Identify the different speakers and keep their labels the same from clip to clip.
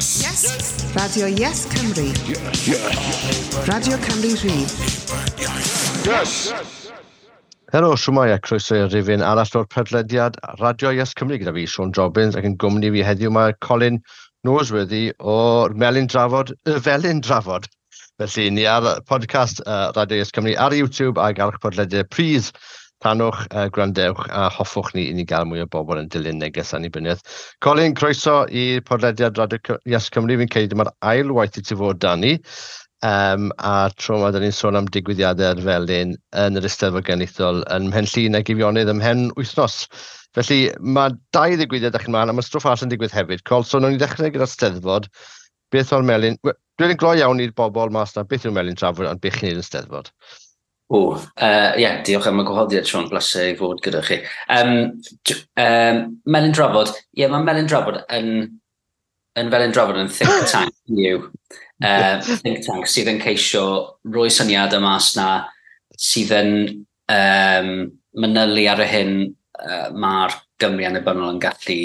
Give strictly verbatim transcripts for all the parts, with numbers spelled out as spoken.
Speaker 1: Yes. Yes. Radio Yes Cymru. Yes. Yes. Radio Cymru Rhydd. Yes.
Speaker 2: Helo, shwmae a croeso i'r rifyn arall o'r podlediad Radio Yes Cymru gyda fi, Siôn Jobbins, ac yn gwmni fi heddiw mae Colin Noseworthy o'r Melin Drafod, y Felin Drafod. Felly, ni ar podcast uh, Radio Yes Cymru ar YouTube ac ar eich podlediad pris. Rhannwch, uh, gwrandewch a hoffwch ni i ni gael mwy o bobl yn dilyn neges annibyniaeth. Colin, croeso i'r podlediad Radio Yes Cymru. Fi'n credu dyma'r ail waith i ti fod 'da ni. Um, a tro yma, da ni'n sôn am digwyddiadau'r Felin yn yr Eisteddfod Genedlaethol yn Mhen Llŷn ac Eifionydd ymhen wythnos. Felly mae dau ddigwyddiad a'ch ymlaen, a mae stwff arall yn digwydd hefyd. Col, so nawn ni ddechrau gyda'r Steddfod. Beth o'r Melin? Dwi'n gloi iawn i'r bobl mas na beth yw'r Melin Drafod, ond beth chi'n neud yn Steddfod?
Speaker 3: O, uh, yeah, diolch am y gwahoddiad, Siôn, bleser i fod gyda chi. Um, um, Melin Drafod, ie, yeah, mae Melin Drafod yn, yn Felin Drafod yn think tank yw. Uh, think tank sydd yn ceisio roi syniadau mas na sydd yn um, manylu ar y hyn uh, mae'r Gymru annibynnol yn gallu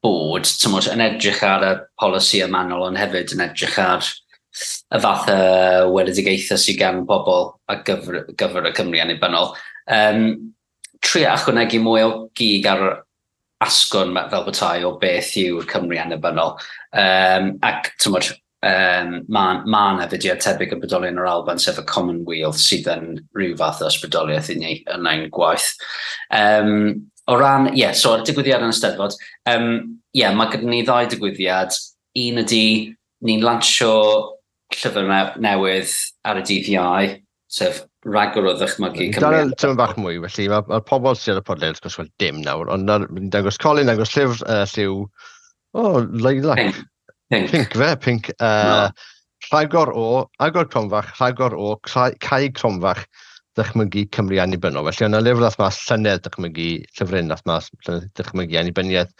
Speaker 3: bod, tymod, yn edrych ar y polisi ymanol, ond hefyd yn edrych ar y fath o weledigaethau sydd gan bobl ar gyfer, gyfer y Cymru annibynnol. Um, trio ychwanegu mwy o gig ar asgwrn fel petai o beth yw'r Cymru annibynnol. Um, ac, tymod, um, mae ma yna fudiad tebyg yn bodoli yn yr Alban, sef y Commonwealth, sydd yn rhyw fath o ysbrydoliaeth i ni yn ein gwaith. Um, o ran, ie, yeah, so ar y digwyddiad yn y Steddfod, um, ie, yeah, mae gyda ni ddau digwyddiad. Un ydy, ni'n lansio llyfr newydd ar y dydd Iau, sef Rhagor o Ddychmygu
Speaker 2: Cymru. Dal tyma bach mwy, felly mae'r ma pobl sydd ar y podlediad wrth gwrs wel dim nawr, ond ni'n dangos Colin, dangos llyfr uh, lliw, o, oh, lilac.
Speaker 3: Pink. Pink.
Speaker 2: Pink fe, pink. Uh, no. Rhagor o, agor cromfach, rhagor o, cau cromfach, Ddychmygu Cymru Annibynnol. Felly yna lyfr ddath mas llynedd dychmygu, llyfryn ddath mas llynedd dychmygu annibyniaeth.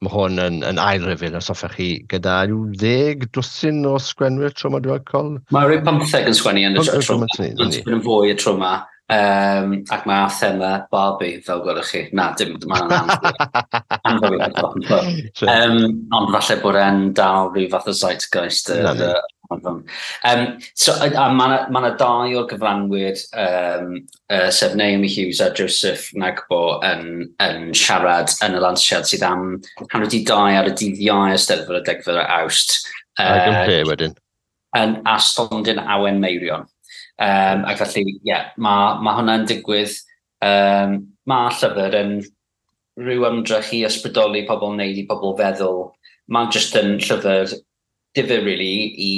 Speaker 2: Mae hwn yn, yn ail rifyn, os hoffech chi, gyda rhyw ddeg dwsin o sgwenwyr tro yma, dwi'n col.
Speaker 3: Mae rhyw pymtheg yn sgwennu yn y tro yma. Mae'n fwy y tro yma. Um, ac mae thema Barbie, fel gwelwch chi. Na, dim, mae'n anghywir. um, ond falle bod e'n dal rhyw fath o zeitgeist. Uh, um, so, a, a mae yna ma dau o'r gyfranwyr, um, uh, sef Naomi Hughes a Joseph Nagbo yn, yn siarad yn y lansiad sydd am hanner wedi dau ar y dydd Iau Eisteddfod y degfed o Awst.
Speaker 2: Uh, Ac yn lle wedyn?
Speaker 3: Yn a stondin Awen Meirion. Um, ac felly, ie, yeah, mae ma hwnna'n digwydd. Um, mae llyfr yn rhyw ymdrech i ysbrydoli pobl, wneud i pobl feddwl. Mae'n just yn llyfr difyr, really, i,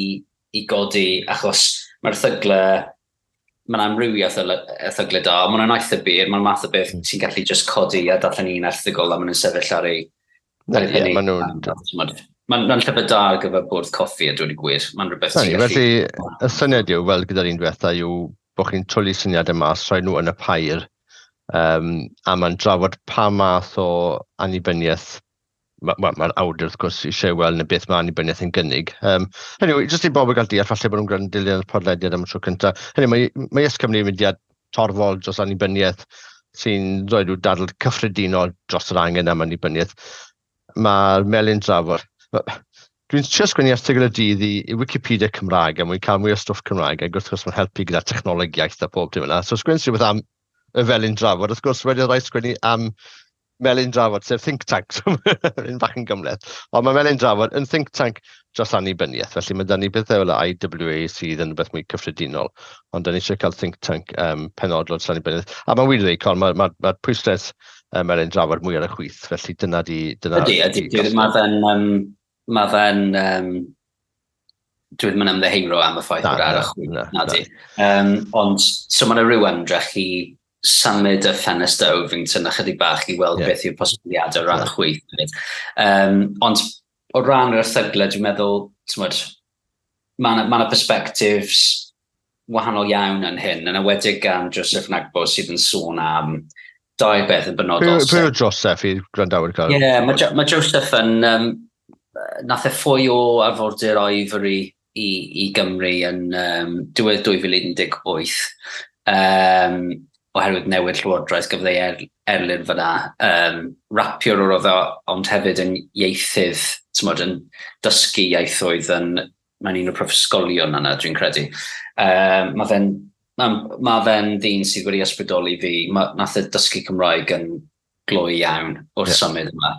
Speaker 3: i godi, achos mae'r erthygle, mae'n amrywiaeth o erthygle da, ond mae'n eitha byr, mae'n math o beth mm. ti'n gallu just codi a darllen un erthygl a maen nhw'n sefyll ar ei...
Speaker 2: Ar ei yeah, maen nhw'n...
Speaker 3: Mae'n ma llyfr da ar gyfer bwrdd coffi a dweud y gwir. Mae'n rhywbeth
Speaker 2: ti'n gallu... Felly, y syniad yw, fel gyda'r un diwetha, yw bod chi'n twlu syniadau mas, rhoi nhw yn y pair, um, a mae'n drafod pa math o annibyniaeth mae'r ma, ma awdur wrth gwrs eisiau weld na beth mae annibyniaeth yn gynnig. Um, anyway, jyst i bobl gael deall, falle bod nhw'n gwrando dilyn y podlediad am y tro cyntaf. Hynny, mae, mae Yes Cymru yn mudiad torfol dros annibyniaeth sy'n rhoi rhyw dadl cyffredinol dros yr angen am annibyniaeth. Mae'r Melin Drafod. Dwi'n trio sgwennu erthygl y dydd i, i Wikipedia Cymraeg a mwyn cael mwy o stwff Cymraeg, ac wrth gwrs mae'n helpu gyda technoleg iaith a pob dim yna. So sgwennu rhywbeth am y Felin Drafod. Wrth gwrs wedi rhaid sgwennu am Melin Drafod, sef think tank, so yn bach yn gymhleth. Ond mae Melin Drafod yn think tank dros annibyniaeth, felly mae 'da ni bethau fel y I W A sydd yn rhywbeth mwy cyffredinol, ond da ni eisiau cael think tank um, penodol dros annibyniaeth. A mae'n wir i ddweud, Colin, mae'r ma, ma pwyslais um, Melin Drafod mwy ar y chwith, felly dyna di... Dyna
Speaker 3: ydy, ydy. Mae fe'n... Um, mae fe'n... Um, dwi ddim yn ymddiheuro am y ffaith bod ar y chwith, na, na di. Um, ond, so mae'n rhyw ymdrech i symud y ffenestr Ovington ychydig bach i weld yeah. beth yw'r posibiliadau o ran y yeah. chwith. Um, ond o ran yr erthygle, dwi'n meddwl, t'mod, mae yna ma perspectives wahanol iawn yn hyn, yn enwedig gan Joseph Nagbo sydd yn sôn am dau beth yn benodol.
Speaker 2: Pwy yw Joseph i gwrandawyr
Speaker 3: cael? Ie, yeah, mae ma Joseph yn... Um, nath e ffoi o arfordir Ivory i, i Gymru yn um, diwedd dwy fil un deg wyth. Um, oherwydd newid llywodraeth, gafodd ei er, erlyn fyna. Um, rapiwr oedd o, ond hefyd yn ieithydd, tymod, yn dysgu ieithoedd yn, mae'n un o'r prifysgolion yna, dwi'n credu. Um, mae fe'n ma, ma fe'n ddyn sydd wedi ysbrydoli fi. Ma, nath e dysgu Cymraeg yn gloi iawn wrth yeah. symud yma.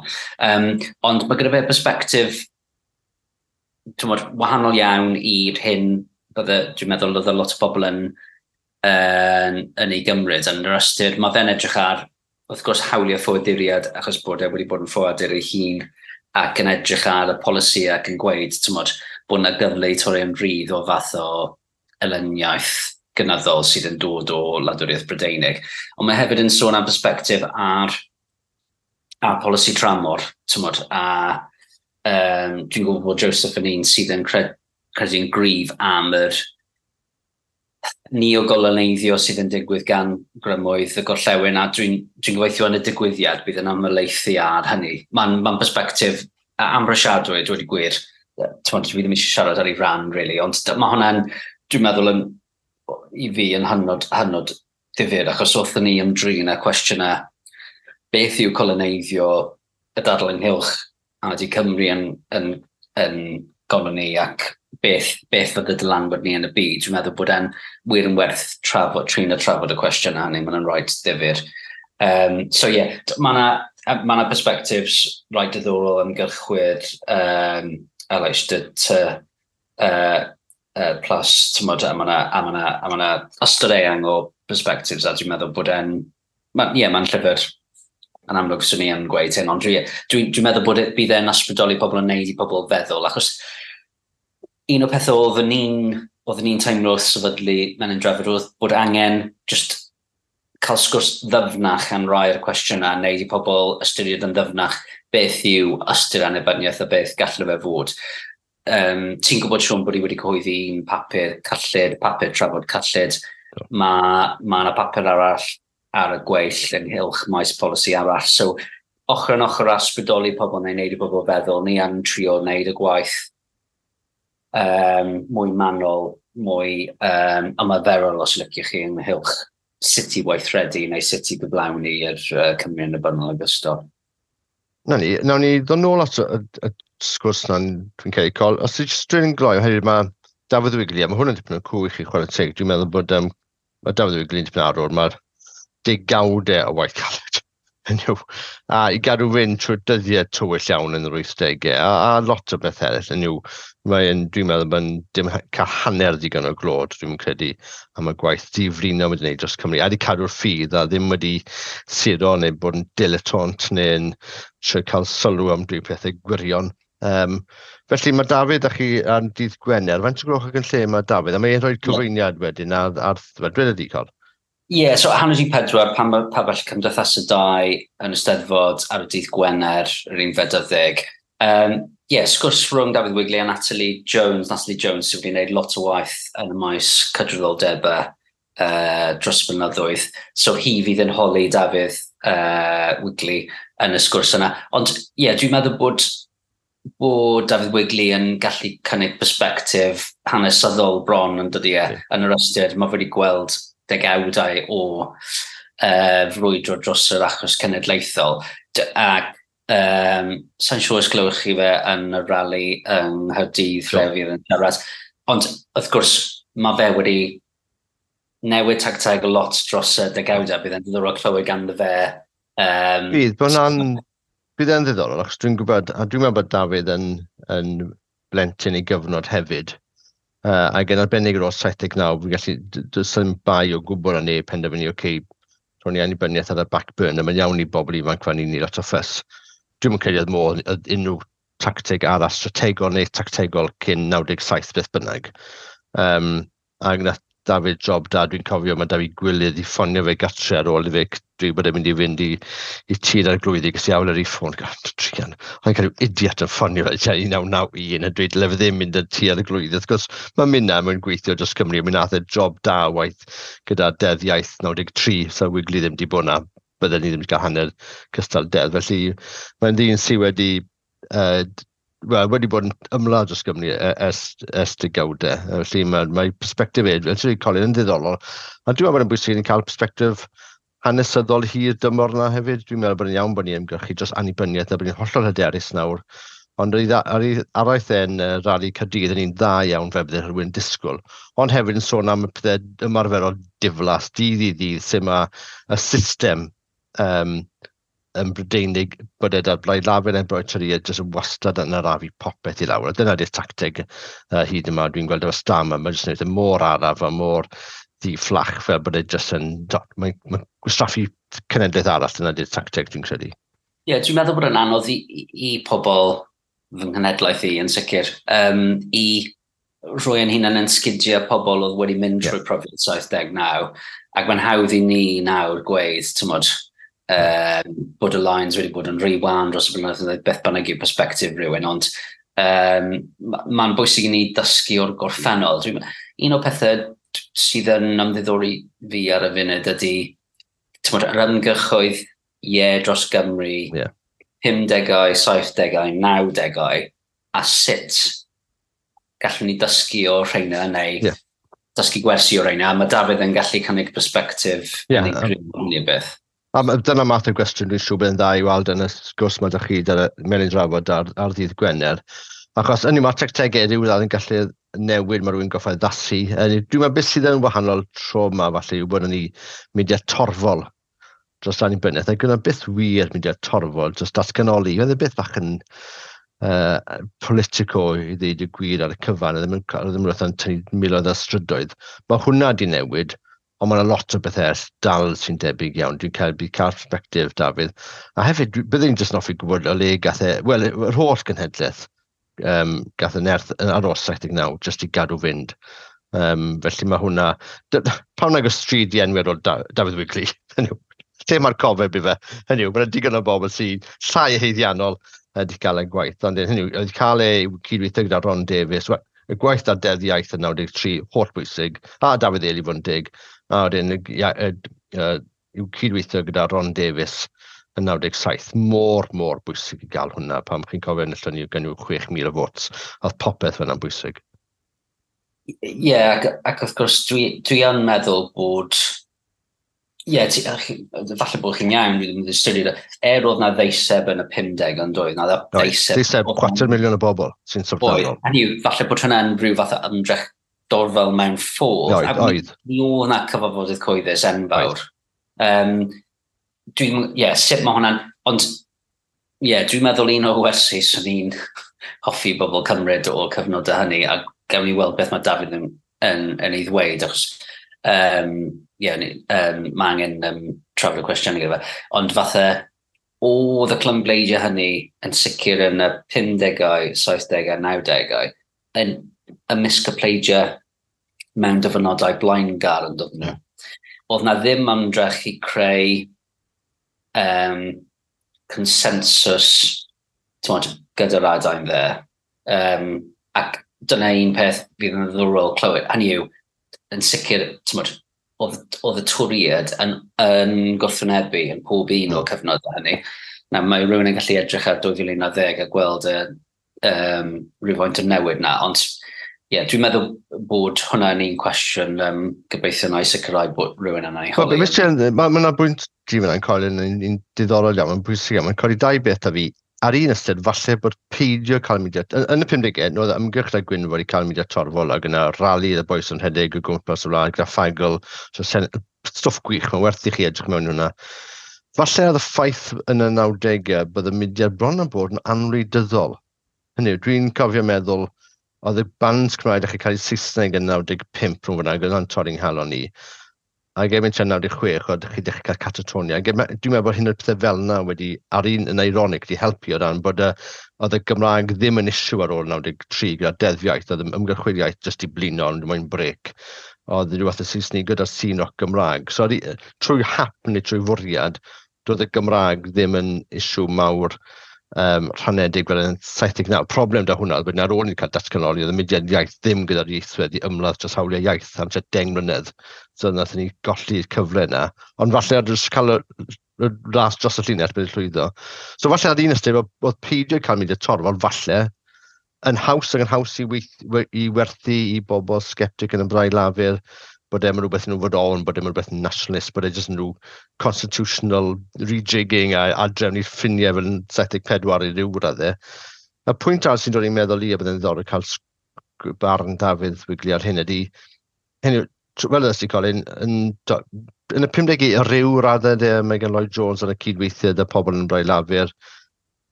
Speaker 3: Um, ond mae gyda fe perspectif, tymod, wahanol iawn i'r hyn bydde, dwi'n meddwl oedd lot o bobl yn, yn, yn ei gymryd. Yn yr ystyr, mae fe'n edrych ar, wrth gwrs, hawliau ffoaduriad, achos bod e wedi bod yn ffoadur ei hun, ac yn edrych ar y polisi ac yn gweud, tymod, bod yna gyfle i torri yn rhydd o fath o elyniaeth gynyddol sydd yn dod o wladwriaeth Brydeinig. Ond mae hefyd yn sôn am perspectif ar, ar polisi tramor, tymod, a um, dwi'n gwybod bod Joseph yn un sydd yn cred, credu'n gryf am yr neogoloneiddio sydd yn digwydd gan grymoedd y gorllewin, a dwi'n dwi gobeithio yn y digwyddiad bydd yn ymhelaethu ar hynny. Mae'n ma perspectif amhrisiadwy, dweud y gwir. Tymod, dwi ddim eisiau siarad ar ei ran, really, ond mae hwnna'n, dwi'n meddwl, yn, i fi yn hynod, hynod ddifyr, achos wrthyn ni ymdrin â cwestiynau beth yw coloneiddio, y dadl ynghylch a ydy Cymru yn, yn, yn goloni ac beth, beth fydd y dylanwad ni yn y byd. Dwi'n meddwl bod e'n wir yn werth trafod, trin a trafod y cwestiwn hynny, mae'n rhaid ddifyr. Um, so ie, yeah, mae yna ma na perspectives rhaid diddorol ymgyrchwyr, um, L H D T, uh, uh, plus, tymod, a mae yna a ma na, a ma na ystod eang o perspectives, a dwi'n meddwl bod e'n, ie, yeah, mae'n llyfr yn amlwg swn i yn gweud hyn, ond dwi'n dwi, dwi meddwl bod e, bydd e'n ysbrydoli pobl yn neud i pobl feddwl, achos un o pethau oeddwn ni'n oeddwn ni'n teimlo wrth sefydlu Melin Drafod oedd bod angen just cael sgwrs ddyfnach am rai o'r cwestiynau, neud i pobl ystyried yn ddyfnach beth yw ystyr annibyniaeth a beth gallu fe fod. Um, ti'n gwybod, Siôn, bod i wedi cyhoeddi un papur cyllid, papur trafod cyllid. Mae ma yna papur arall ar y gweill ynghylch maes polisi arall. So, ochr yn ochr â ysbrydoli pobl neu wneud i bobl feddwl, ni yn trio wneud y gwaith um, mwy manwl, mwy um, ymarferol, os liciwch chi, ynghylch sut i weithredu neu sut i gyflawni yr uh, Cymru annibynnol ogystal.
Speaker 2: Na ni, nawn ni ddod nôl at y, y, y sgwrs na'n dwi'n credu, Col. Os ti'n just dwi'n gloi, oherwydd mae Dafydd Wigley, a mae hwn yn dipyn o cw i chi, chwarae teg, dwi'n meddwl bod um, mae Dafydd Wigley'n dipyn arwr, mae'r degawdau o waith caled. Hynny yw, a i gadw fynd trwy'r dyddiau tywyll iawn yn yr wythdegau, a, a lot o beth eraill. Hynny yw, mae'n, dwi'n meddwl mae'n dim cael hanner digon o glod, dwi'n credu, am y gwaith diflino wedi gwneud dros Cymru. A wedi cadw'r ffydd a ddim wedi suro neu bod yn dilettante neu'n trio cael sylw am dweud pethau gwirion. Um, felly mae Dafydd a chi ar dydd Gwener. Faint o gloch ac yn lle mae Dafydd? A mae'n rhoi cyflwyniad wedyn ar, ar, ar dweud ydi, Col?
Speaker 3: Ie, yeah, so hanner di pedwar pan mae pabell Cymdeithas y Dau yn y Steddfod ar y dydd Gwener, yr unfed ar ddeg. Um, yeah, sgwrs rhwng Dafydd Wigley a Natalie Jones. Natalie Jones sydd wedi gwneud lot o waith yn y maes cydraddoldebau uh, dros blynyddoedd. So hi fydd yn holi Dafydd uh, Wigley yn y sgwrs yna. Ond ie, yeah, dwi'n meddwl bod bod Dafydd Wigley yn gallu cynnig perspectif hanesyddol bron yn dydi e, yn yr ystyr. Mae wedi gweld degawdau o uh, frwydro dros yr achos cenedlaethol. D ac um, sa'n siŵr os glywch chi fe yn y rali yng Nghaerdydd lle fydd yn siarad. Ond wrth gwrs, mae fe wedi newid tacteg lot dros y degawdau. Bydd e'n ddiddorol clywed ganddo fe. Um,
Speaker 2: Bydd, bod hwnna'n bydd e'n ddiddorol, achos dwi'n gwybod, a dwi'n meddwl bod Dafydd yn, yn blentyn ei gyfnod hefyd. Uh, ac yn arbennig ar ôl saith deg naw, fi'n gallu, does dim bai o gwbl ar neb penderfynu, oce, okay, rhoi ni annibyniaeth ar y back burner, mae'n iawn i bobl ifanc fan i ni lot o ffys. Dwi'n credu oedd modd unrhyw tacteg arall strategol neu tactegol cyn naw deg saith beth bynnag. Um, ac nath Dafydd job da, dwi'n cofio mae Dafydd Gwilydd i ffonio fe gatre ar ôl i fe dweud bod e'n mynd i fynd i, i Tŷ'r Arglwyddi, ges i awl ar ei ffôn, god, druan. O'n cael rhyw idiot yn ffonio fe, tua un naw naw un, yn dweud dyle fe ddim mynd i'r Tŷ'r Arglwyddi. Wrth gwrs, mae minna mewn gweithio dros Cymru, mi nath e job da waith gyda Deddf Iaith naw deg tri, so Wigley ddim di bod na, bydden ni ddim wedi cael hanner cystal deddf. Felly mae'n ddyn sydd wedi uh, well, wedi bod yn ymladd dros Gymru ers, ers degawdau. Felly mae, mae perspectif e, fel ti'n Colin, yn ddiddorol. A dwi'n meddwl bod yn bwysig yn cael perspectif hanesyddol hir dymor 'na hefyd. Dwi'n meddwl bod yn iawn bod ni'n ymgyrchu dros annibyniaeth a bod ni'n hollol hyderus nawr. Ond ar ei araith e'n uh, rali Caerdydd yn un dda iawn fel bydde rhywun disgwyl. Ond hefyd yn sôn am y pethau ymarferol diflas, dydd i ddydd, sut mae y system um, yn Brydeinig bod e da'r Blaid Lafur neu'r Blaid Torïaidd jyst yn wastad yn arafu popeth i lawr. A dyna di'r tacteg uh, hyd yma dwi'n gweld efo Starmer, mae jyst yn gwneud e mor araf a mor ddi-fflach fel bod e jyst yn... Mae'n mae gwastraffu cenedlaeth arall, dyna di'r tacteg dwi'n credu.
Speaker 3: Ie, yeah, dwi'n meddwl bod yn anodd i, i, i pobl fy nghenhedlaeth i yn sicr, um, i rhoi yn hunan yn sgidiau pobl oedd wedi mynd yeah. trwy profiad saith deg naw, ac mae'n hawdd i ni nawr gweud, tymod, um, bod y lines wedi bod yn rhy wan dros y blynyddoedd, beth bynnag yw perspectif rhywun, ond um, mae'n bwysig i ni dysgu o'r gorffennol. Dwi'n, un o'r pethau sydd yn ymddiddori fi ar y funud ydy, tymod, yr ymgyrchoedd ie dros Gymru, yeah. pumdegau, saithdegau, nawdegau, a sut gallwn ni dysgu o'r rheina neu yeah. dysgu gwersi o'r rheina, a mae Dafydd yn gallu cynnig perspectif yeah, yn um, beth.
Speaker 2: A dyna math o gwestiwn dwi'n siŵr bydd yn dda i weld yn y sgwrs mae ydych chi gyda Melin Drafod ar, ar ddydd Gwener. Achos yn mae tactegau rhyw radd yn gallu newid, mae rhywun goffa addasu. Dwi'n meddwl beth sydd yn wahanol tro yma falle yw bod yn ni mudiad torfol dros annibyniaeth. Ac yna byth wir mudiad torfol dros datganoli. Oedd e byth bach yn uh, politico i ddweud y gwir ar y cyfan. Oedd ddim yn rhywbeth yn tynnu miloedd o strydoedd. Mae hwnna di newid, ond mae yna lot o bethau dal sy'n debyg iawn. Dwi'n cael, cael perspectif, Dafydd. A hefyd, byddwn i'n jyst yn hoffi gwybod o le gath e, wel, yr holl genhedlaeth um, gath y nerth ar ôl saith deg naw, jyst i gadw fynd. Um, felly mae hwnna... Pam nag o stryd i enwi ar ôl da, Dafydd Wigley? Lle mae'r cofeb i fe? Hynny yw, mae'n digon o bobl sy'n llai haeddiannol wedi cael ei gwaith. Ond hynny yw, wedi cael ei cydweithio gyda Ron Davies. Well, y gwaith ar Deddf Iaith yn naw deg tri, holl bwysig, a Dafydd Eli fod yn deg, a wedyn i'w cydweithio gyda Ron Davies yn naw deg saith. Mor, mor bwysig i gael hwnna, pam chi'n cofio enillon ni gan yw chwech mil o votes. Oedd popeth fyna'n bwysig.
Speaker 3: Ie, yeah, ac, ac wrth gwrs dwi, dwi yn meddwl bod Ie, yeah, falle bod chi'n iawn, dwi ddim yn ystyried. Er oedd na ddeiseb yn y pumdeg yn doedd, na
Speaker 2: ddeiseb... Ddeiseb chwarter miliwn o bobl sy'n syfrdanol.
Speaker 3: Hynny yw, falle bod hwnna'n rhyw fath o ymdrech dorfel mewn ffordd.
Speaker 2: Oedd, oedd.
Speaker 3: Mi oedd na cyfarfodydd cyhoeddus enfawr. Um, dwi'n, ie, yeah, sut mae hwnna'n... Ond, ie, yeah, dwi'n meddwl un o'r wersi swn i'n hoffi bobl cymryd o'r cyfnod hynny, a gawn ni weld beth mae Dafydd yn, yn, yn ei ddweud, achos... Um, yeah, um, mae angen um, trafod y cwestiwn gyda fe. Ond fatha, oedd y clymbleidiau hynny yn sicr yn y pumdegau, saithdegau, nawdegau, yn ymysg y pleidiau mewn dyfynodau blaengar yn dod nhw. Oedd na ddim ymdrech i creu um, consensus t'mod, gyda'r adain dde. Um, ac dyna un peth fydd yn ddiddorol clywed. Hynny yw, yn sicr, t'mod, oedd, oedd y Torïaid yn, yn gwrthwynebu yn pob un o'r cyfnodau hynny. Na, mae rhywun yn gallu edrych ar dwy fil un ar ddeg a gweld y, um, rhywfaint o newid na, ond ie, yeah, dwi'n meddwl bod hwnna'n un cwestiwn um, gobeithio na i sicrhau bod rhywun yna i holi.
Speaker 2: Mae yna bwynt di fyna'n Colin yn, yn diddorol iawn, mae'n bwysig iawn, mae'n codi dau beth a fi. Ar un ystyr, falle bod peidio cael mudiad, yn, yn y pumdegau, oedd ymgyrch da Gwynfor i cael mudiad torfol ac yna rali y bois yn rhedeg o gwmpas y wlad gyda ffagl, so sen, stwff gwych, mae'n werth i chi edrych mewn hwnna. Falle oedd y ffaith yn y nawdegau bod y mudiad bron yn bod yn anwleidyddol. Hynny yw, dwi'n cofio meddwl, oedd y bands Cymraeg dechrau cael eu Saesneg yn naw deg pump rhwng fyna, gyda'n torri'n nghalon ni. Ac erbyn tua naw deg chwech, oedd chi dechrau cael Catatonia. Ac dwi'n meddwl bod hyn o'r pethau fel yna wedi, ar un yn ironic, wedi helpu o ran bod y, oedd y Gymraeg ddim yn issue ar ôl naw deg tri gyda deddf iaith, oedd ymgyrchwyr iaith jyst i blino, ond moyn brec. Oedd rhyw fath o Saesneg gyda'r sîn rock Gymraeg. So trwy hap neu trwy fwriad, doedd y Gymraeg ddim yn issue mawr um, rhanedig fel yn saith deg naw. Problem da hwnna, oedd ar ôl ni cael datganoli, oedd y mudiad iaith ddim gyda'r ieithwedd i ymladd dros hawliau iaith am tua deng mlynedd. So nathon ni golli'r cyfle yna. Ond falle ar jyst cael y, y ras dros y llinell bydd llwyddo. So falle ar un ystyr, oedd peidio cael mudiad torfol, falle, yn haws ac yn haws i, weith, i werthu i bobl sceptic yn y Blaid Lafur, Bod e'n rhywbeth nhw fod on, bod e'n rhywbeth nationalist, bod e jyst yn rhyw constitutional rejigging a adrefnu ffiniau fel yn saith deg pedwar i ryw raddau. Y pwynt arall sy'n dod i'n meddwl i a byddai'n ddiddorol cael barn Dafydd Wigley ar hyn ydy, hyn yw, fel ydych chi, Colin, yn, yn y pum degau i ryw raddau de, Megan Lloyd Jones yn y cydweithiau y pobl yn Blaid Lafur,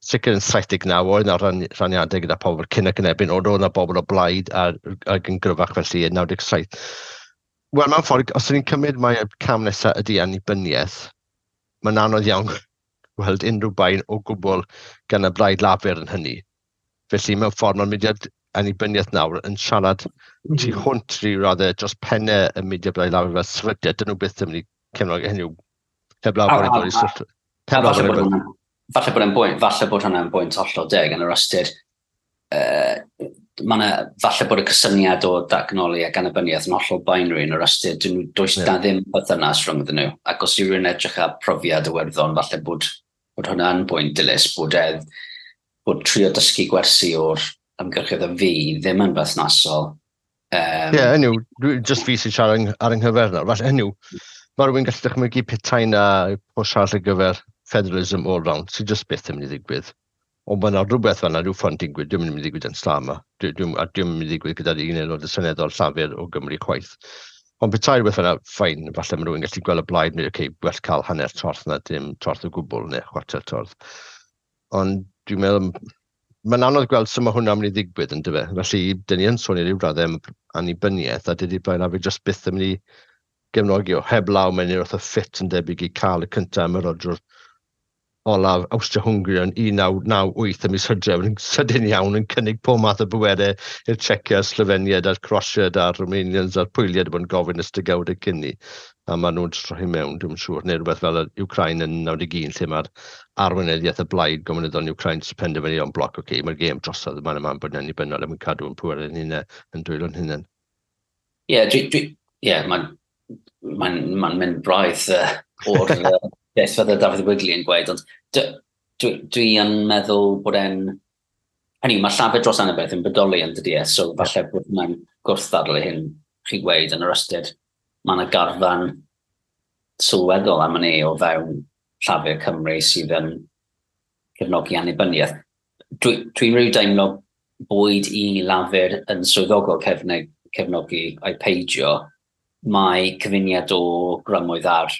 Speaker 2: sicr yn saith deg naw oedd yna rhan, rhaniadau gyda pobl cyn ac yn erbyn, ond oedd yna bobl o blaid a, ac yn gryfach felly yn naw deg saith. Wel, mewn ffordd, os ydyn ni'n cymryd mai y cam nesaf ydy annibyniaeth, mae'n anodd iawn gweld unrhyw bain o gwbl gan y Blaid Lafur yn hynny. Felly, mewn ffordd, mae'r mudiad annibyniaeth nawr yn siarad mm. tu hwnt rhyw raddau dros pennau y mudiad Blaid Lafur fel sefydliad. Dyn nhw byth yn mynd i cefnogi hynny yw heblaw bod yn dod i sylw.
Speaker 3: Falle bod falle bod e'n bwynt, falle bod hwnna'n bwynt hollol deg yn yr ystyr. Uh, ma 'na, falle bod y cysyniad o datganoli ac annibyniaeth yn hollol binary yn yr ystyr, dyn nhw, does yeah. na ddim perthynas rhwngddyn nhw. Ac os yw rhywun edrych ar profiad Iwerddon, falle bod, bod hwnna'n bwynt dilys, bod, e, bod trio dysgu gwersi o'r ymgyrchoedd y fi ddim yn berthnasol.
Speaker 2: Ie, um, yeah, hynny yw, just fi sy'n siarad ar yng nghyfer nawr. Falle hynny yw, mae rhywun gallu dychmygu petai na push arall ar gyfer federalism all round, sy'n just byth yn mynd i ddigwydd. Ond mae yna rhywbeth fel yna, rhyw ffordd digwydd, dwi'n mynd i ddigwydd yn slam. Dwi, dwi, a dwi'n mynd i ddigwydd gyda'r un aelod y seneddol Llafur o Gymru chwaith. Ond petai rhywbeth fel yna, fine, falle mae rhywun gallu gweld y blaid, neu, okay, well cael hanner torth na dim torth o gwbl, neu chwarter torth. Ond dwi'n meddwl, mae'n anodd gweld sut mae hwnna'n mynd i ddigwydd yn dyfe. Felly, dyn ni yn sôn i ryw raddau am annibyniaeth, a dydy Blaid Lafur just byth yn mynd i gefnogi o heblaw mewn i'r fath o ffit yn debyg i cael y cyntaf ymerodrwr olaf Awstria-Hwngri yn un naw naw wyth ym mis Hydref yn sydyn iawn yn cynnig pob math o bwerau i'r Czecia, Slofeniaid a'r Croatiaid a'r Romanians a'r Pwyliaid bod yn gofyn ys degawdau cyn ni. A maen nhw'n troi mewn, dwi'n siŵr, neu rhywbeth fel yr Ukraine yn naw deg un, lle mae'r arweinyddiaeth y blaid gomiwnyddol yn Ukraine sy'n penderfynu o'n bloc, okay, okay, mae'r gêm drosodd, mae'n yma'n bod yn annibynnol, er mwyn cadw yn pwerau yn hunain, yn dwylo'n hunain.
Speaker 3: Ie, yeah, dwi, dwi, yeah, mae'n mae'n ma mynd braidd uh, o'r uh, beth fydde Dafydd Wigley yn gweud, ond dwi, dwi yn meddwl bod e'n... Hynny, mae Llafur dros Annibyniaeth yn bodoli yn dydy e, so falle bod hwnna'n gwrthddadl i hyn chi gweud yn yr ystyr. Mae yna garfan sylweddol am hynny o fewn Llafur Cymru sydd yn cefnogi annibyniaeth. Dwi'n dwi rhyw deimlo boed i Lafur yn swyddogol cefnog, cefnogi ai peidio, mae cyfuniad o grymoedd ar,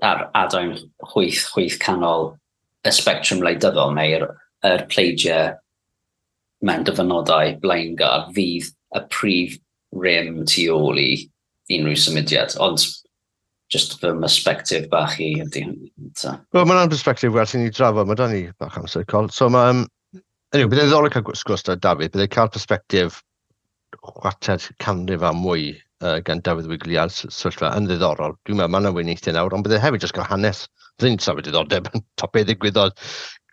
Speaker 3: ar adain chwith, chwith canol y spectrwm wleidyddol neu'r yr pleidiau mewn dyfynodau blaengar fydd y prif rym tu ôl i unrhyw symudiad. Ond just fy perspective bach i ydy hynny. So.
Speaker 2: Wel, mae'n perspective werth i ni drafod, mae da ni bach amser col. So mae, um, anyway, byddai'n ddiddorol cael sgwrs da Dafydd, byddai'n cael perspective chwarter canrif a mwy uh, gan Dafydd Wigley ar sefyllfa yn ddiddorol. Dwi'n meddwl mae'n weiniaethau nawr, ond byddai hefyd jyst cael hanes. Byddai'n safod diddordeb yn top beth ddigwyddodd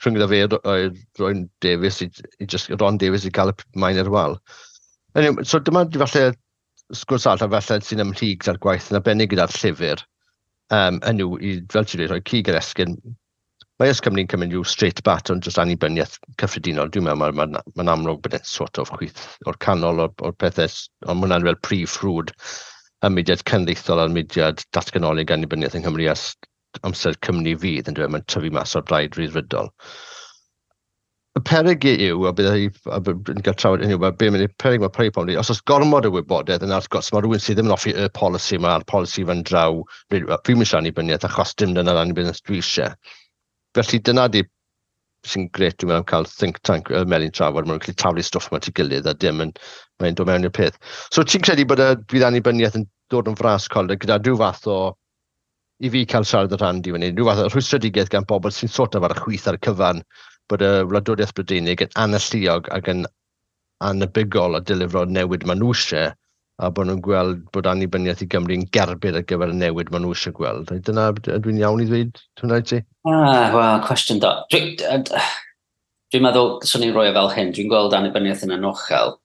Speaker 2: rhwng iddo fe a Ron Davies i, i just, Ron Davies i gael y maen ar wal. Anyway, so dyma falle sgwrs arall a falle sy'n ymhlyg gyda'r gwaith yn arbennig gyda'r llyfr. Um, yn yw, i, fel ti'n dweud, rhoi cig yr esgyn. Mae Yes Cymru'n cymryd rhyw straight bat ond jyst annibyniaeth cyffredinol. Dwi'n meddwl mae'n ma, ma, ma amlwg bod e'n sort of chwith o'r canol o'r, o'r pethau, ond mae hwnna'n fel prif ffrwd y mudiad cenedlaethol a'r mudiad datganolig annibyniaeth yng Nghymru ers amser Cymru Fydd yn dweud mae'n tyfu mas o'r Blaid Ryddfrydol. Y peryg yw, a bydd yn cael trafod hynny, mae be mae'n peryg mae peryg pobl, os oes gormod o wybodaeth, yna wrth gwrs, mae rhywun sydd ddim yn hoffi y polisi yma, a'r polisi fan draw, fi'n eisiau annibyniaeth achos dim dyna'r annibyniaeth dwi eisiau. Felly dyna di sy'n gret, dwi'n meddwl, am cael think tank y Melin Trafod, maen nhw'n gallu taflu stwff yma at ei gilydd a dim yn, mae'n dod mewn i'r peth. So ti'n credu bod y bydd annibyniaeth yn dod yn fras col gyda rhyw fath o, i fi cael siarad y rhan di fyny, rhyw fath o rhwystredigaeth gan bobl sy'n sort of ar y chwith ar y cyfan, bod y wladwriaeth Brydeinig yn analluog ac yn anebygol o delifro newid maen nhw eisiau, a bod nhw'n gweld bod annibyniaeth i Gymru yn gerbyd ar gyfer y newid maen nhw eisiau gweld. Dyna, dwi'n iawn i ddweud hwnna i ti?
Speaker 3: Ah, wel, cwestiwn da. Dwi'n dwi meddwl, swn i'n rhoi e fel hyn, dwi'n gweld annibyniaeth yn anochel.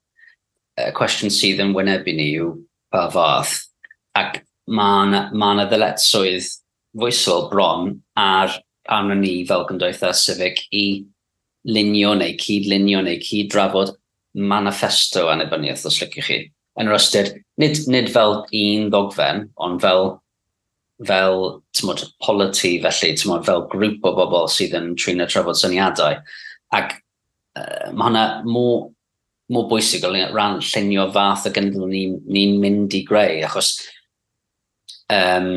Speaker 3: Y cwestiwn sydd yn wynebu ni yw pa fath. Ac mae yna ma ddyletswydd foesol bron ar arno ni fel gymdeithas civic i lunio neu cyd-lunio neu cyd-drafod manifesto annibyniaeth, os liciwch chi. Yn yr ystyr, nid, nid fel un ddogfen, ond fel, fel tymod, polity felly, tymod, fel grŵp o bobl sydd yn trin a trafod syniadau. Ac uh, mae hwnna mor, mor bwysig o ran llunio fath o genedl ni'n ni mynd i greu, achos um,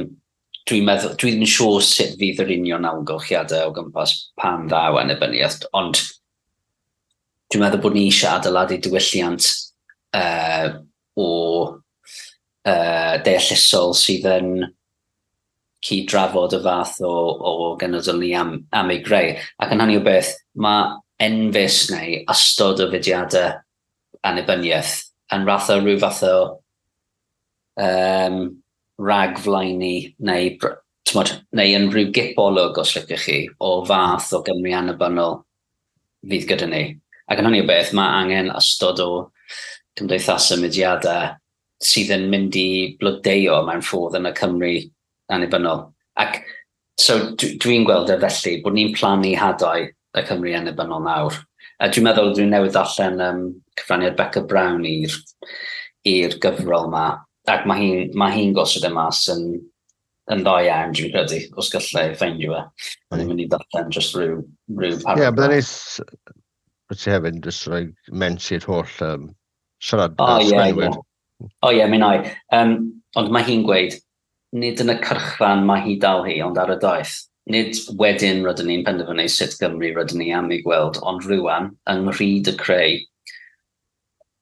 Speaker 3: dwi'n meddwl, dwi ddim yn siŵr sut fydd yr union amgylchiadau o gwmpas pan ddaw annibyniaeth, ond dwi'n meddwl bod ni eisiau adeiladu diwylliant uh, o uh, deallusol sydd yn cyd-drafod y fath o, o genedl ni am, am ei greu. Ac yn hynny o beth, mae enfys neu ystod o fudiadau annibyniaeth yn fath o rhyw fath o um, ragflaenu neu, tymod, neu yn rhyw gipolwg, os liciwch chi, o fath o Gymru annibynnol fydd gyda ni. Ac yn hynny o beth, mae angen ystod o cymdeithasau, mudiadau sydd yn mynd i blodeuo mewn ffordd yn y Cymru annibynnol. Ac so dwi'n gweld e felly bod ni'n plannu hadau y Cymru annibynnol nawr. A dwi'n meddwl dwi'n newydd ddarllen um, cyfraniad Beca Brown i'r i'r gyfrol yma. Ac mae hi'n ma hi gosod e mas yn, yn dda iawn, dwi'n credu, os gallai ffeindio fe. Mae'n mynd i ddarllen just rhyw, rhyw
Speaker 2: paragraph. Ie, yeah, byddai'n neis bod ti hefyd jyst rhoi mention holl um, siarad
Speaker 3: oh, yeah, yeah. O ie, mi wna i. Um, ond mae hi'n gweud, nid yn y cyrchfan mae hi dal hi, ond ar y daith. Nid wedyn rydyn ni'n penderfynu sut Gymru rydyn ni am ei gweld, ond rwan, yng nghryd y creu,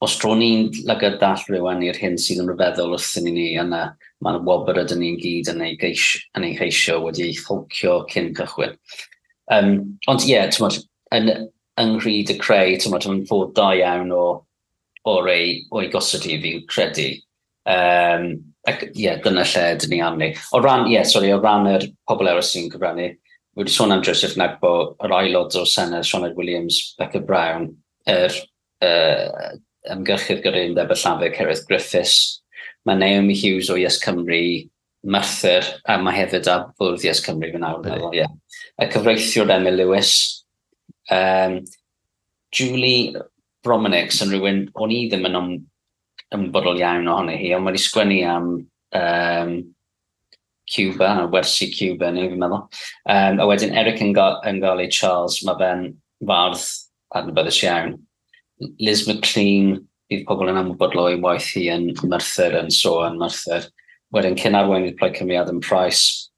Speaker 3: os tro ni'n lygad dall rwan i'r hyn sydd yn rhyfeddol wrthyn ni yna, mae'n wobr ydyn ni'n gyd yn ei, geis, yn ei cheisio wedi ei tholcio cyn cychwyn. Um, ond ie, yeah, tymod, yn, yng nghryd y creu, tymod, yn ffordd da iawn o, o'r ei, o'i gosod hi, fi'n credu. Um, ac ie, yeah, dyna lle dyn ni arni. O ran, ie, yeah, sorry, o ran yr pobl eraill sy'n cyfrannu, wedi sôn am Joseph Nagbo, yr aelod o'r Senedd, Sioned Williams, Beca Brown, yr uh, ymgyrchydd gyda Undeb y Llafur, Cerith Griffiths, mae Naomi Hughes o Yes Cymru, Merthyr, a mae hefyd ar fwrdd Yes Cymru fy nawr, meddwl, ie. Y cyfreithiwr Emyr Lewis, um, Julie Brominix yn rhywun, o'n i ddim yn ymwybodol iawn ohoni hi, ond wedi sgwennu am um, Cuba, a wersi Cuba, neu fi'n meddwl. Um, a wedyn Eric Ngalle Charles, mae fe'n fardd adnabyddus iawn. Liz McLean, bydd pobl yn ymwybodol o'i waith hi yn Merthyr, yn so yn Merthyr. Wedyn cyn arweinydd Plaid Cymru Adam Price,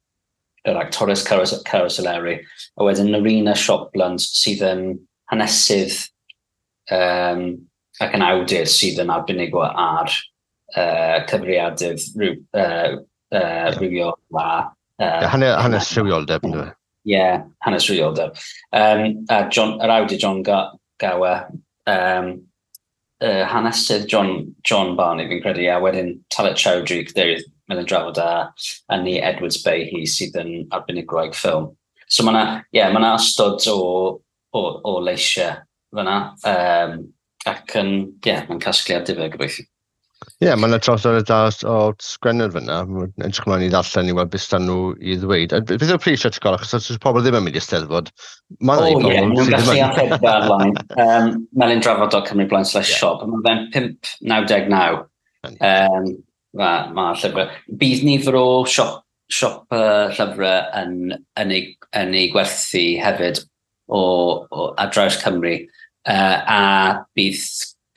Speaker 3: yr actores Carys Eleri, a wedyn Nerina Shopland sydd yn hanesydd um, ac yn awdur sydd yn arbenigo ar uh, cyfrifiadur rhyw, uh, uh, yeah. rhywiol a...
Speaker 2: Uh, yeah, hanes, hanes rhywioldeb, ynddo fe?
Speaker 3: Ie, yeah, hanes rhywioldeb. Um, a John, yr awdur Jon Gower, um, uh, hanesydd John, John Barney, fi'n credu, a wedyn Talat Chowdhury, cadeirydd Melin Drafod, a, a ni Edwards Bayhi sydd yn arbenigwraig ffilm. So mae yna, yeah, ma ystod o, o, o leisiau fyna, um, ac yn, ie, yeah, mae'n casgliad difyr gobeithio.
Speaker 2: Ie, yeah, mae'n traws da o sgwenwyr fyna. Edrych ymlaen i ddarllen i weld beth sdan nhw i ddweud. A beth yw'r pris at ysgol? Achos os pobl ddim yn mynd i Steddfod,
Speaker 3: mae'n oh, ie, nhw'n gallu archebu ar-lein. Um, melindrafod dot cymru blaen slash shop. Mae fe'n pump naw deg naw. Um, Mae ma llyfrau. Bydd nifer o siop, siop uh, llyfrau yn, yn, ei, yn ei gwerthu hefyd o, o, ar draws Cymru. Uh, a bydd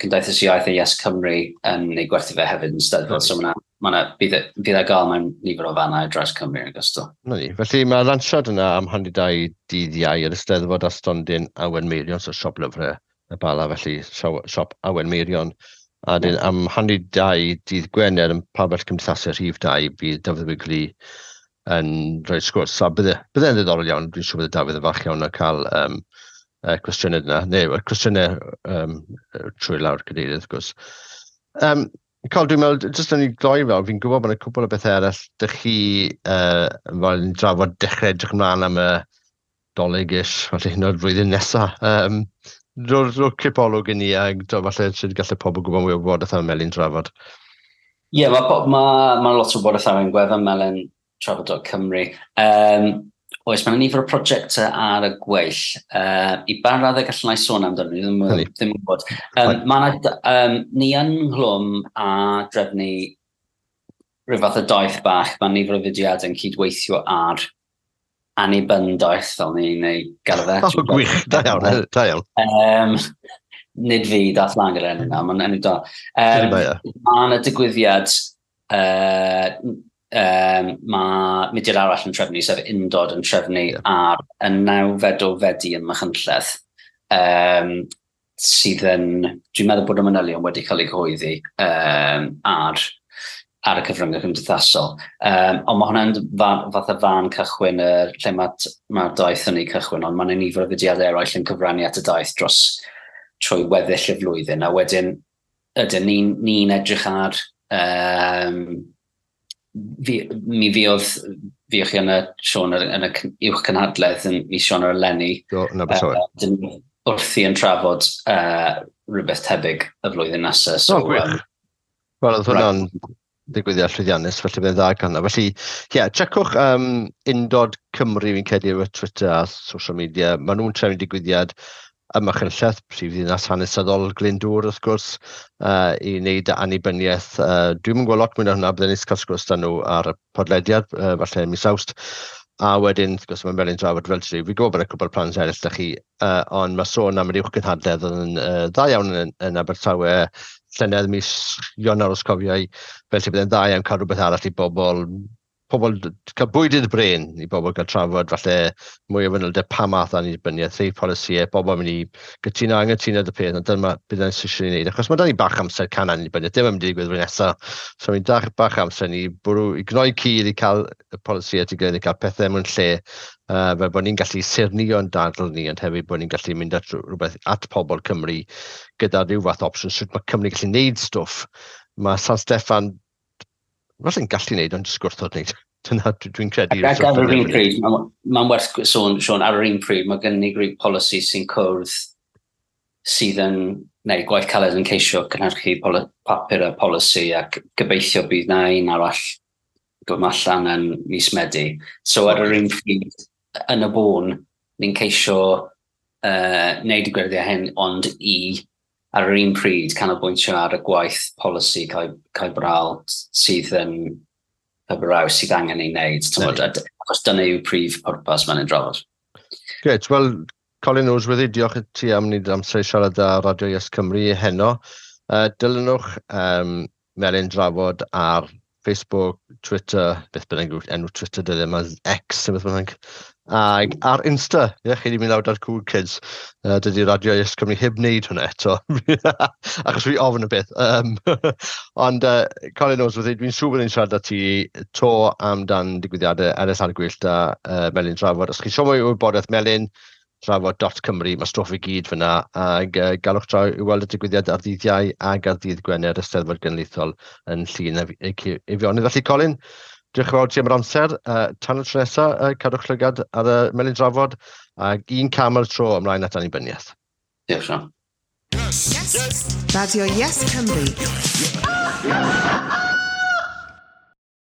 Speaker 3: Cymdeithas Iaith a Yes Cymru yn ei gwerthu fe hefyd yn Steddfod. So mae ma bydd, e, bydd e gael mewn nifer o fannau ar draws Cymru yn ogystal.
Speaker 2: Na ni. Felly mae'r lansiad yna am hanner dau dydd Iau yr Eisteddfod a stondin Awen Meirion, so siop lyfrau y Bala, felly siop Awen Meirion. A dyn, am hanner dau dydd Gwener yn pabell cymdeithasau rhif dau bydd Dafydd Wigley yn rhoi sgwrs. A bydde, bydde'n ddiddorol iawn, dwi'n siŵr bydde Dafydd yn falch iawn o cael um, uh, cwestiynau yna, neu cwestiynau um, trwy lawr cadeirydd, wrth gwrs. Um, Col, dwi'n meddwl, jyst yn ei gloi fel, fi'n gwybod bod yna cwbl o bethau eraill dych chi uh, fel yn drafod dechrau edrych ymlaen am y Dolig-ish, falle hyn o'r flwyddyn nesaf. Um, Rho, rho cipolwg i ni a do, falle sydd gallu pobl gwybod mwy o wybodaeth am Melin Drafod.
Speaker 3: Ie, yeah, mae ma, ma lot o wybodaeth ar ein gwefan melin trafod dot cymru. Um, Oes, mae yna nifer o prosiectau ar y gweill. Uh, I ba raddau gallwn i sôn amdano, ni ddim, ddim yn gwybod. Um, mae yna, um, ni yn nghlwm a drefnu rhyw fath o daith bach. Mae nifer o fudiadau yn cydweithio ar annibyniaeth, fel ni'n ei galw fe.
Speaker 2: O, gwych, da iawn, da iawn.
Speaker 3: Um, nid fi dath lan gyda'r enw yna, mae'n enw da. Um, mae yna digwyddiad uh, um, mae mudiad arall yn trefnu, sef Undod yn trefnu yeah. ar y nawfed o Fedi ym Machynlleth, um, sydd yn, dwi'n meddwl bod y manylion wedi cael eu cyhoeddi um, ar, ar y cyfryngau cymdeithasol. Um, ond mae hwnna'n fath o fan cychwyn, y, lle mae'r ma daith yn ei cychwyn, ond mae'n nifer o fudiadau eraill yn cyfrannu at y daith dros trwy weddill y flwyddyn, a wedyn ydyn ni'n ni edrych ar um, fi, mi fuodd, fuoch chi yn y Siôn, yn y uwch cynhadledd yn mis Sionawr eleni.
Speaker 2: Do, yn Abertawe.
Speaker 3: Uh, wrthi yn trafod uh, rhywbeth tebyg y flwyddyn nesaf.
Speaker 2: So, oh, gwych. Um, Wel, oedd hwnna'n digwyddiad llwyddiannus, felly bydd dda gan. Felly, ie, yeah, checkwch um, Undod Cymru, fi'n credu, ar Twitter a social media. Maen nhw'n trefnu digwyddiad ym Machynlleth, prif ddinas hanesyddol Glyndŵr, wrth gwrs, uh, i wneud annibyniaeth. Uh, Dwi'm yn gweld lot mwy na hwnna, byddwn ni'n cael sgwrs da nhw ar y podlediad, uh, falle mis Awst. A wedyn, wrth gwrs, mae'n Melin Drafod fel ti. Fi'n gwybod bod yna cwbl plans eraill da chi, uh, ond mae sôn am yr uwch gynhadledd yn uh, dda iawn yn, yn Abertawe, llynedd mis Ionawr os cofiau, felly byddai'n dda iawn cael rhywbeth arall i bobl, pobl cael bwyd i'r brain i bobl gael trafod falle mwy o fanylder pa math o annibyniaeth, rhai polisïau, bobl yn mynd i gytuno, anghytuno dy peth, ond dyma bydd yn eisiau ni wneud. Achos mae da ni bach amser can annibyniaeth, dim yn mynd i ddigwydd flwyddyn nesaf. So ni'n dach bach amser ni bwrw, i gnoi cil i cael y polisïau at ei gilydd, i cael pethau mewn lle, uh, fel bod ni'n gallu saernïo'n dadl ni, ond hefyd bod ni'n gallu mynd at rhywbeth at pobl Cymru gyda rhyw fath opsiwn, sut mae Cymru gallu wneud stwff. Mae San Steffan falle'n gallu wneud, ond jyst gwrthod wneud. Dyna dwi'n credu.
Speaker 3: Ac ar yr un pryd, mae'n werth sôn, Siôn, ar yr un pryd, mae gen ni grŵp polisi sy'n cwrdd sydd yn, neu gwaith caled yn ceisio cynhyrchu papur a polisi, ac gobeithio bydd na un arall dod allan yn mis Medi. So ar yr un pryd, yn y bôn, ni'n ceisio uh, wneud y gwirfoddoli hyn, ond i ar yr un pryd canolbwyntio ar y gwaith polisi cael brawl sydd yn cael sydd angen ei wneud. Achos dyna yw prif pwrpas mae'n drafod.
Speaker 2: Grêt, wel, Colin Noseworthy, diolch i ti am wneud amser i siarad â Radio Yes Cymru heno. Uh, dilynwch um, Melin Drafod ar Facebook, Twitter, beth bynnag enw Twitter dyddiau yma, X, neu beth bynnag. Ac ar Insta, ie, chi wedi mynd lawr ar Cool Kids. Uh, dydy Radio Yes Cymru heb wneud hwnna eto. Achos fi ofn y beth. Um, ond uh, Colin Noseworthy, dwi'n siŵr bod ni'n siarad â ti to amdan digwyddiadau eraill ar y gweill da uh, Melin Drafod. Os chi eisiau mwy o wybodaeth, Melin Drafod dot Cymru, mae stwff i gyd fyna, ac uh, galwch draw i weld y digwyddiad ar ddydd Iau ac ar ddydd Gwener y Steddfod Genedlaethol yn Llŷn Eifionydd. Felly, Colin, diolch yn fawr ti am yr amser. Uh, tan y tro nesaf, uh, cadwch llygad ar y Melin Drafod, ac un cam ar y tro ymlaen at annibyniaeth.
Speaker 3: Diolch, Siôn.
Speaker 1: Yes. Yes. Radio Yes Cymru. Yes.